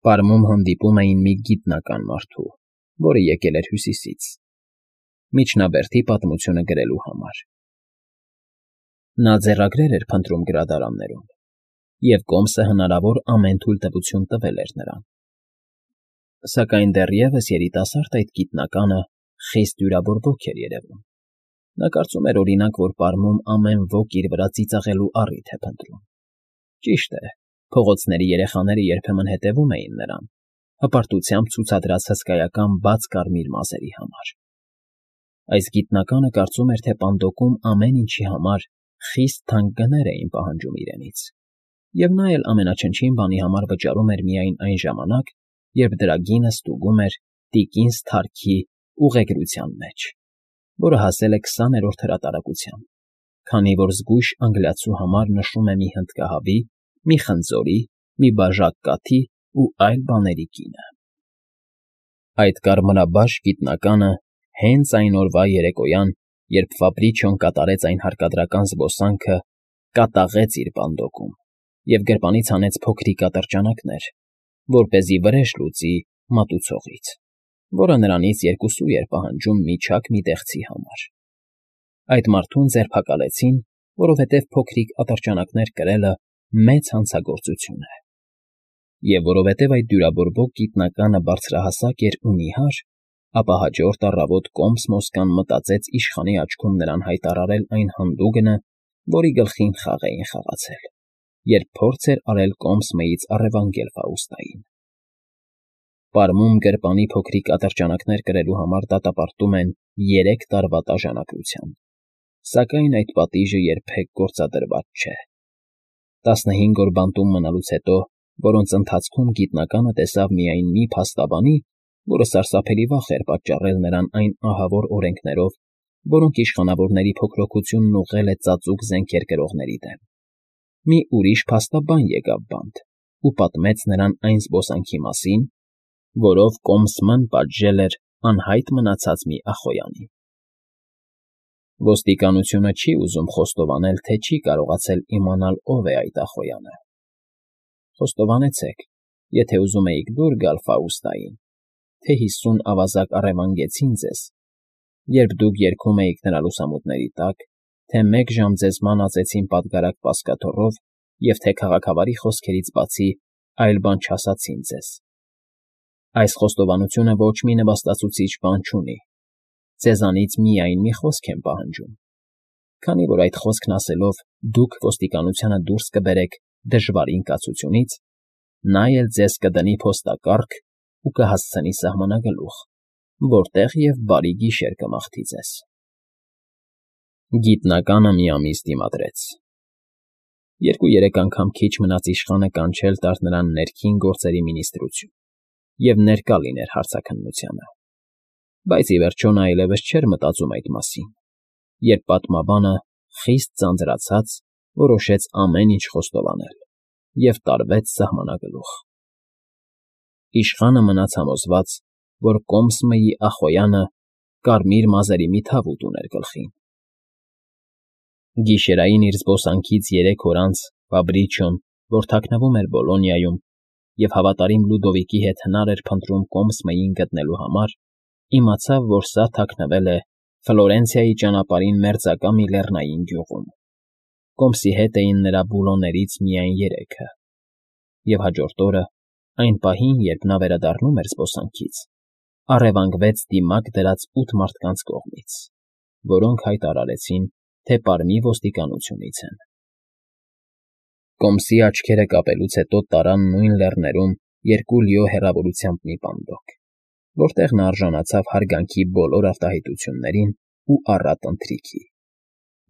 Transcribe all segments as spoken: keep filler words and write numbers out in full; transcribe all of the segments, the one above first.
Պարմում հանդիպում էին մի գիտնական մարդու, որը եկել էր Հյուսիսից, միջնաբերդի պատմությունը գրելու համար. նա ձեռագրեր էր փնտրում գրադարաններում, և կոմսը հնարավոր ամեն թույլտվություն տվել էր նրան. սակայն դեռևս երիտասարդ այդ գիտնականը խիստ դյուրաբորբոք էր երևում. նա կարծում էր, օրինակ, որ Պարմում ամեն ոք իր վրա ծիծաղելու առիթ է փնտրում. ճիշտ է, փողոցների երեխաները երբեմն հետևում էին նրան, հպարտությամբ ցուցադրած հսկայական բաց կարմիր մազերի համար. այս գիտնականը կարծում էր, թե Պանդոկում ամեն ինչի համար խիստ թանկ գներ էին պահանջում իրենից, և նա էլ ամենաչնչին բանի համար վճարում էր միայն այն ժամանակ, երբ դրա գինը ստուգում էր տիկին Սթարքի ուղեգրության մեջ, որը հասել է քսաներորդ հրատարակության, քանի որ զգույշ անգլիացու համար նշում է մի հնդկահավի, մի խնձորի, մի բաժակ կաթի ու այլ բաների գինը։ Այդ կարմրաբաշ գիտնականը հենց այն օրվա երեկոյան, երբ Ֆաբրիչոն կատարեց այն հարկադրական զբոսանքը, կատաղեց իր Պանդոկում և գրպանից հանեց փոքրիկ ատրճանակներ, որպեսզի վրեժ լուծի մատուցողից, որը նրանից երկուսու էր պահանջում միջակ մի տեղծի համար։ Այդ մարդուն ձերբակալեցին, որովհետև փոքրիկ ատրճանակներ կրելը մեծ հանցագործություն է, և որովհետև այդ դյուրաբորբոք գիտնականը բարձրահասակ էր ու նիհար, ապա հաջորդ առավոտ կոմս Մոսկան մտածեց իշխանի աչքում նրան հայտարարել այն հանդուգնը, որի գլխին խաղ էին խաղացել, երբ փորձ էր արել կոմս Մեից առևանգել Ֆաուստային։ Պարմում գրպանի փոքրիկ ատրճանակներ կրելու համար դատապարտում են երեք տարվա տաժանակության, սակայն այդ պատիժը երբեք գործադրված չէ։ տասնհինգ օր բանտում մնալուց հետո, որոնց ընթացքում գիտնականը տեսավ միայն մի փաստաբանի, որը սարսափելի վախ էր պատճառել նրան այն ահավոր օրենքներով, որոնք իշխանավորների փոքրօգությունն ուղղել է ծածուկ զենքեր կրողների դեմ, մի ուրիշ փաստաբան եկավ բանտ ու պատմեց նրան այն զբոսանքի մասին, որով կոմսը պատժել էր անհայտ մնացած մի ախոյանին։ Ոստիկանությունը չի ուզում խոստովանել, թե չի կարողացել իմանալ, ով է այդ ախոյանը։ Խոստովանեցեք, եթե ուզում էիք դուր գալ Ֆաուստային, թե հիսուն ավազակ առևանգեցին ձեզ, երբ դուք երգում էիք նրա լուսամուտների տակ, թե մեկ ժամ ձեզ մանածեցին պատգարակ պասկաթոռով և թե քաղաքավարի խոսքերից բացի այլ բան չասացին ձեզ։ Այս խոստովանությունը ոչ մի նվաստացուցիչ բան չունի, ձեզանից միայն մի խոսք եմ պահանջում, քանի որ այդ խոսքն ասելով դուք ոստիկանությանը դուրս կբերեք դժվարին կացությունից, նա էլ ձեզ կդնի փոստակառք ու կհասցնի սահմանագլուխ, որտեղ և բարի գիշեր կմաղթի ձեզ։ Գիտնականը մի ամիս դիմադրեց։ Երկու֊երեք անգամ քիչ մնաց իշխանը կանչել տար նրան ներքին գործերի մինիստրություն և ներկա լիներ հարցաքննությանը, բայց ի վերջո նա այլևս չէր մտածում այդ մասին, երբ պատմաբանը, խիստ ձանձրացած, որոշեց ամեն ինչ խոստովանել և տարվեց սահմանագլուխ։ Իշխանը մնաց համոզված, որ կոմսմեի ախոյանը կարմիր մազերի մի թավուտ ուներ գլխին։ Գիշերային իր զբոսանքից երեք օր անց Ֆաբրիչոն, որ թաքնվում էր Բոլոնիայում և հավատարիմ Լյուդովիկի հետ հնար էր փնտրում կոմսմեին գտնելու համար, իմացավ, որ սա թաքնվել է Ֆլորենցիայի ճանապարհին մերձակա մի լեռնային գյուղում։ Կոմսի հետ էին նրա բուլոներից միայն երեքը, և հաջորդ օրը, այն պահին, երբ նա վերադառնում էր զբոսանքից, առևանգվեց դիմակ դրած ութ մարդկանց կողմից, որոնք հայտարարեցին, թե Պարմի ոստիկանությունից են։ Կոմսի աչքերը կապելուց հետո տարան նույն լեռներում երկու լիո հեռավորությամբ մի պանդոկ, որտեղ նա արժանացավ հարգանքի բոլոր արտահայտություններին ու առատ ընթրիքի։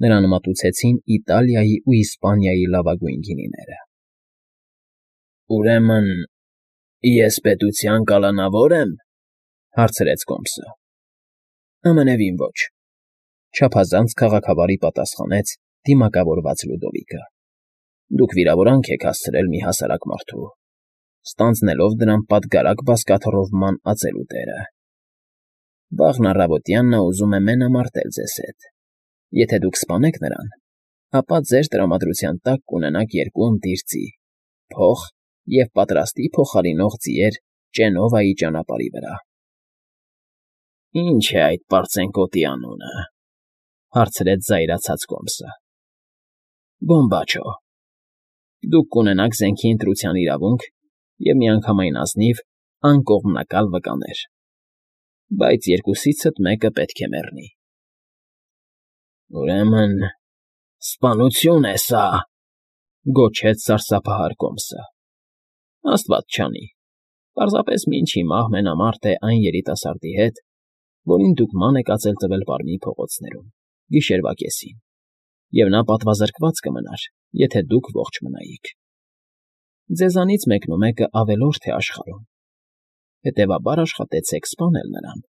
Նրան մատուցեցին Իտալիայի ու Իսպանիայի լավագույն գինիները։ ֊ Ուրեմն ես պետության կալանավո՞ր եմ,֊ հարցրեց կոմսը։ ֊ Ամենևին ոչ,֊ չափազանց քաղաքավարի պատասխանեց դիմակավորված Լյուդովիկը։ ֊ Դուք վիրավորանք եք հասցրել մի հասարակ մարդու, ստանձնելով դրան պատգարակ բազկաթոռով ման ածելու դերը։ Վաղն առավոտյան նա ուզում է մենամարտել ձեզ հետ։ Եթե դուք սպանեք նրան, ապա ձեր տրամադրության տակ կունենաք երկու ընտիր ձի՝ փող և պատրաստի փոխարինող ձիեր Ճենովայի ճանապարհի վրա։ ֊ Ի՞նչ է այդ պարծենկոտի անունը,֊ հարցրեց զայրացած Կոմսը։ ֊ Բոմբաչո։ Դուք կունենաք զենքի ընտրության իրավունք և միանգամայն ազնիվ, անկողմնակալ վկաներ, բայց երկուսիցդ մեկը պետք է մեռնի։ ֊ Ուրեմն սպանությո՞ւն է սա,֊ գոչեց սարսափահար Կոմսը։ ֊ Աստված չանի, պարզապես մինչ հիմա մենամարտ է այն երիտասարդի հետ, որին դուք ման եք ածել տվել Պարմի փողոցներում, գիշերվա կեսին, և նա պատվազրկված կմնար, եթե դուք ողջ մնայիք։ Ձեզանից մեկնումեկը ավելորդ է աշխարհում, հետևաբար աշխատեցեք սպանել նրան։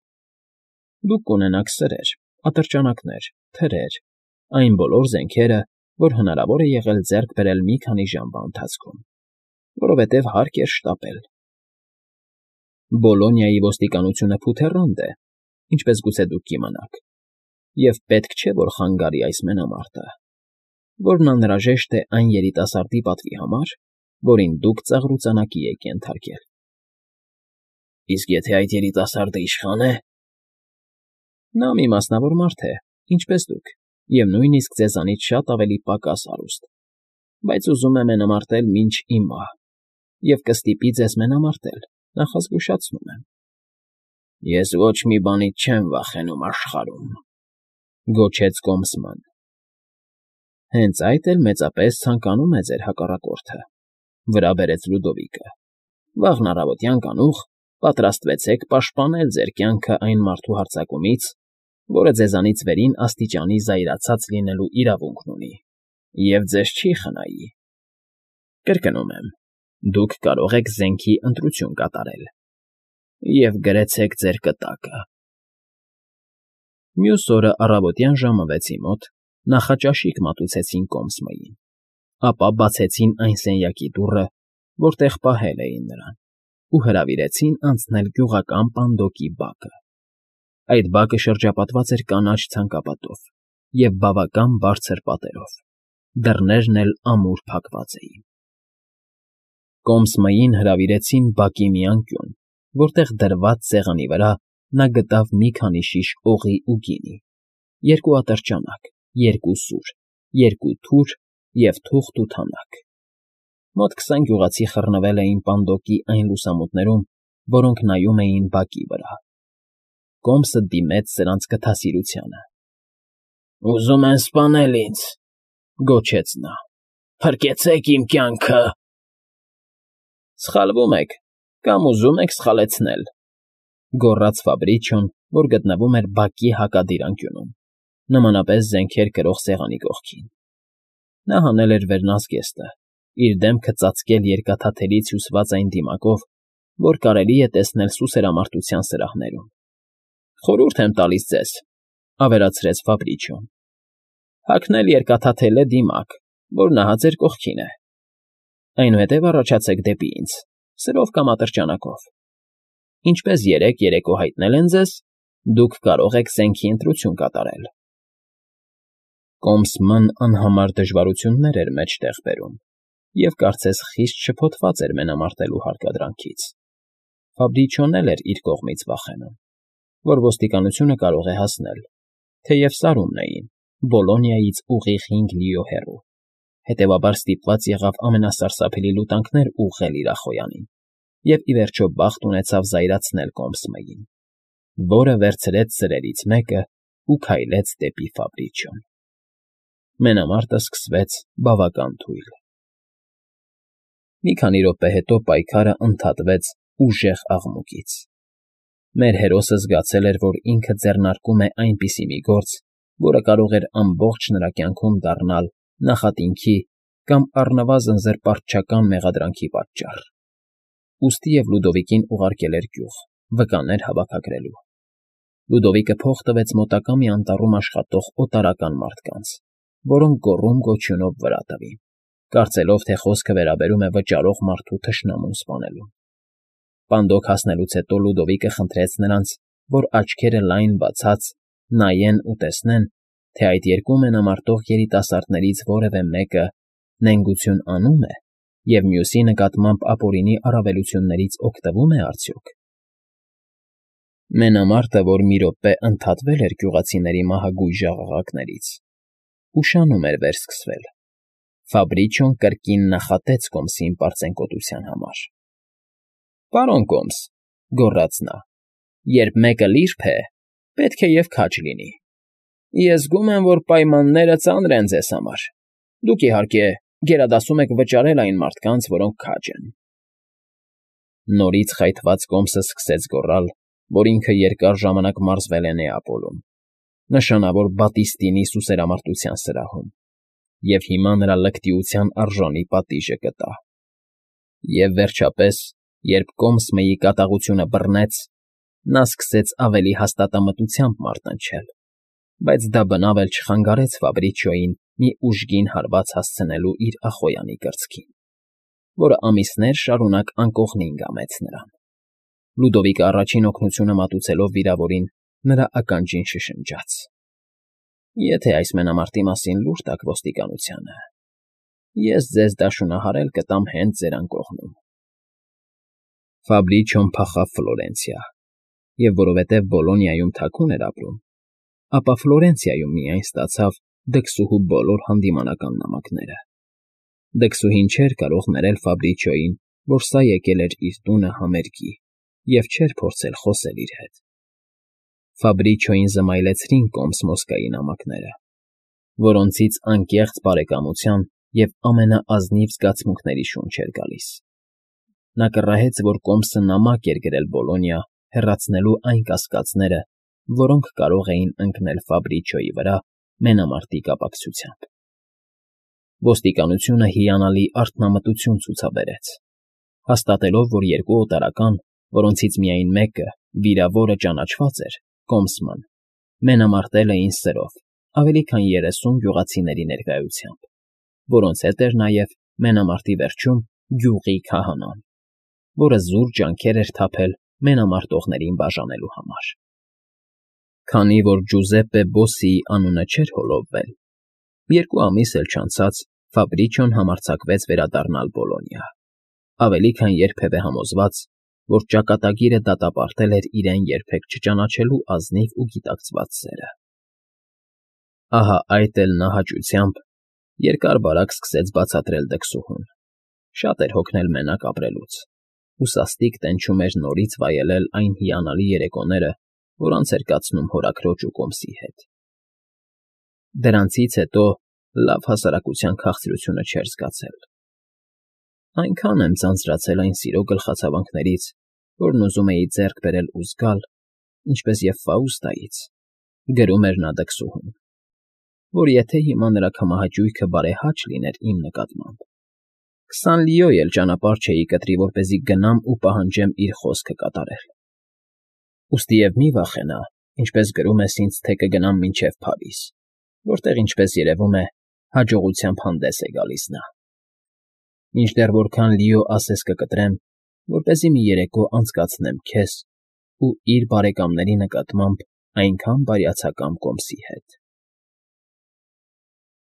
Դուք կունենաք սրեր, ատրճանակներ, թրեր, այն բոլոր զենքերը, որ հնարավոր է եղել ձեռք բերել մի քանի ժամվա ընթացքում, որովհետև հարկ էր շտապել։ Բոլոնիայի ոստիկանությունը փութեռանդ է, ինչպես գուցե դուք կիմանաք, և պետք չէ, որ խանգարի այս մենամարտը, որն անհրաժեշտ է այն երիտասարդի պատվի համար, որին դուք ծաղրուծանակի եք ենթարկել։ ֊ Իսկ եթե այդ երիտասարդը իշխա՞ն է։ ֊ Նա մի մասնավոր մարդ է, ինչպես դուք, և նույնիսկ ձեզանից շատ ավելի պակաս հարուստ, բայց ուզում է մենամարտել մինչ իմ մահ և կստիպի ձեզ մենամարտել, նախազգուշացնում եմ։ ֊ Ես ոչ մի բանից չեմ վախենում աշխարհում,֊ գոչեց Կոմսը։ ֊ Հենց այդ էլ մեծապես ցանկանում է ձեր հակառակորդը,֊ վրա բերեց Լյուդովիկը։ ֊ Վաղն առավոտյան կանուխ պատրաստվեցեք պաշտպանել ձեր կյանքը այն մարդու հարձակումից, որը ձեզանից վերին աստիճանի զայրացած լինելու իրավունքն ունի և ձեզ չի խնայի։ Կրկնում եմ, դուք կարող եք զենքի ընտրություն կատարել և գրեցեք ձեր կտակը։ Մյուս օրը առավոտյան ժամը վեցի մոտ նախաճաշիկ մատուցեցին Կոմսմոյին, ապա բացեցին այն սենյակի դուռը, որտեղ պահել էին նրան, ու հրավիրեցին անցնել գյուղական պանդոկի բակը։ Այդ բակը շրջապատված էր կանաչ ցանկապատով և բավական բարձր պատերով, դռներն էլ ամուր փակված էին։ Կոմսմոյին հրավիրեցին բակի մի անկյուն, որտեղ դրված սեղանի վրա նա գտավ մի քանի շիշ օղի ու գինի, երկու ատրճանակ, երկու սուր, երկու թուր և թուղթ ու թանաք։ Մոտ քսան գյուղացի խռնվել էին պանդոկի այն լուսամուտներում, որոնք նայում էին բակի վրա։ Կոմսը դիմեց սրանց գթասիրությանը։ ֊ Ուզում են սպանել ինձ,֊ գոչեց նա,֊ փրկեցեք իմ կյանքը։ ֊ Սխալվում եք կամ ուզում եք սխալեցնել,֊ գոռաց Ֆաբրիչոն, որ գտնվում էր բակի հակադիր անկյունում, նմանապես զենքեր կրող սեղանի կողքին։ Նա հանել էր վերնազգեստը, իր դեմքը ծածկել երկաթաթելից հյուսված այն դիմակով, որ կարելի է տեսնել սուսերամարտության սրահներում։ ֊ Խորհուրդ եմ տալիս ձեզ,֊ ավելացրեց Ֆաբրիչոն,֊ հագնել երկաթաթելե դիմակ, որ նահա ձեր կողքին է։ Այնուհետև առաջացեք դեպի ինձ, սրով կամ ատրճանակով։ Ինչպես երեկ երեկո հայտնել են ձեզ, դուք կարող եք զենքի ընտրություն կատարել։ Կոմսմն անհամար դժվարություններ էր մեջտեղ բերում և կարծես խիստ շփոթված էր մենամարտելու հարկադրանքից։ Ֆաբրիչոն էլ էր իր կողմից վախենում, որ ոստիկանությունը կարող է հասնել, թեև սարումն էին, Բոլոնիայից ուղիղ հինգ լիո հեռու, հետևաբար ստիպված եղավ ամենասարսափելի լուտանքներ ուղղել իր ախոյանին և ի վերջո բախտ ունեցավ զայրացնել Կոմսմոյին, որը վերցրեց սրերից մեկը ու քայլեց դեպի Ֆաբրիչոն։ Մենամարտը սկսվեց բավական թույլ։ Մի քանի րոպե հետո պայքարը ընդհատվեց ուժեղ աղմուկից։ Մեր հերոսը զգացել էր, որ ինքը ձեռնարկում է այնպիսի մի գործ, որը կարող էր ամբողջ նրա կյանքում դառնալ նախատինքի կամ առնվազն զրպարտչական մեղադրանքի պատճառ։ Ուստի և Լյուդովիկին ուղարկել էր գյուղ, վկաներ հավաքագրելու։ Լյուդովիկը փող տվեց մոտակա մի անտառում աշխատող օտարական մարդկանց, որոնք գոռում֊գոչյունով վրա տվին, կարծելով, թե խոսքը վերաբերում է վճարող մարդու թշնամուն սպանելուն։ Պանդոկ հասնելուց հետո Լյուդովիկը խնդրեց նրանց, որ աչքերը լայն բացած նայեն ու տեսնեն, թե այդ երկու մենամարտող երիտասարդներից որևէ մեկը նենգություն անում է, և մյուսի նկատմամբ ապօրինի առավելություններից օգտվո՞ւմ է արդյոք։ Մենամարտը, որ մի րոպե ընդհատվել էր գյուղացիների մահագույժ աղաղակներից, ուշանում էր վերսկսվել, Ֆաբրիչոն կրկին նախատեց Կոմսին պարծենկոտության համար։ ֊ Պարոն Կոմս,֊ գոռաց նա,֊ երբ մեկը լիրբ է, պետք է և քաջ լինի։ Ես զգում եմ, որ պայմանները ծանր են ձեզ համար. դուք, իհարկե, գերադասում եք վճարել այն մարդկանց, որոնք քաջ են… Նորից խայթված Կոմսը սկսեց գոռալ, որ ինքը երկար ժամանակ մարզվել է Նեապոլում, նշանավոր Բատիստինի սուսերամարտության սրահում, և հիմա նրա լկտիության արժանի պատիժը կտա։ Եվ, վերջապես, երբ Կոմսմըի կատաղությունը բռնեց, նա սկսեց ավելի հաստատամտությամբ մարտնչել, բայց դա բնավ էլ չխանգարեց Ֆաբրիչոյին մի ուժգին հարված հասցնելու իր ախոյանի կրծքին, որը ամիսներ շարունակ անկողնին կամեց նրան։ Լյուդովիկը առաջին օգնությունը մատուցելով վիրավորին, նրա ականջին շշնջաց. ֊ Եթե այս մենամարտի մասին լուր տաք ոստիկանությանը, ես ձեզ դաշունահարել կտամ հենց ձեր անկողնում… Ֆաբրիչոն փախավ Ֆլորենցիա, և որովհետև Բոլոնիայում թաքուն էր ապրում, ապա Ֆլորենցիայում միայն ստացավ դքսուհու բոլոր հանդիմանական նամակները։ Դքսուհին չէր կարող ներել Ֆաբրիչոյին, որ սա եկել էր իր տունը համերգի, և չէր փորձել խոսել իր հետ։ Ֆաբրիչոյին զմայլեցրին Կոմս֊Մոսկվայի նամակները, որոնցից անկեղծ բարեկամության և ամենաազնիվ զգացմունքների շունչ էր գալիս։ Նա կռահեց, որ Կոմսը նամակ էր գրել Բոլոնիա հեռացնելու այն կասկածները, որոնք կարող էին ընկնել Ֆաբրիչոյի վրա մենամարտի կապակցությամբ։ Ոստիկանությունը հիանալի արդնամտություն ցուցաբերեց, հաստատելով, որ երկու օտարական, որոնցից միայն մեկը՝ վիրավորը, ճանաչված էր՝ Կոմսման, մենամարտել էին սրով ավելի քան երեսուն գյուղացիների ներկայությամբ, որոնց հետ էր նաև մենամարտի վերջում գյուղի քահանան, որը զուր ջանքեր էր թափել մենամարտողներին բաժանելու համար։ Քանի որ Ջուզեպպե Բոսսիի անունը չէր հոլովվել, երկու ամիս էլ չանցած Ֆաբրիչոն համարձակվեց վերադառնալ Բոլոնիա, ավելի քան երբևէ համոզված, որ ճակատագիրը դատապարտել էր իրեն երբեք չճանաչելու ազնիվ ու գիտակցված սերը։ Ահա այդ էլ նա հաճությամբ երկար֊բարակ սկսեց բացատրել դքսուհուն, շատ էր հոգնել մենակ ապրելուց, ու սաստիկ տենչում էր նորից վայելել այն հիանալի երեկոները, որ անց էր կացնում հորաքրոջ ու Կոմսի հետ։ Դրանցից հետո լավ հասարակության քաղցրությունը չէր զգացել։ Այնքան եմ ձանձրացել այն սիրո գլխացավանքներից, որն ուզում էի ձեռք բերել ու զգալ, ինչպես և Ֆաուստայից, գրում էր նա դքսուհուն, որ եթե հիմա նրա քամահաճույքը բարեհաճ լիներ իմ նկատմամբ, քսան լիո էլ ճանապարհ չէի կտրի, որպեսզի գնամ ու պահանջեմ իր խոսքը կատարել։ Ուստիև մի վախենա, ինչպես գրում ես ինձ, թե կգնամ մինչև Փարիզ, որտեղ, ինչպես երևում է, հաջողությամբ հանդես է գալիս նա։ Մինչդեռ որքան լիո ասես կկտրեմ, որպեսզի մի երեկո անցկացնեմ քեզ ու իր բարեկամների նկատմամբ այնքան բարյացակամ Կոմսի հետ։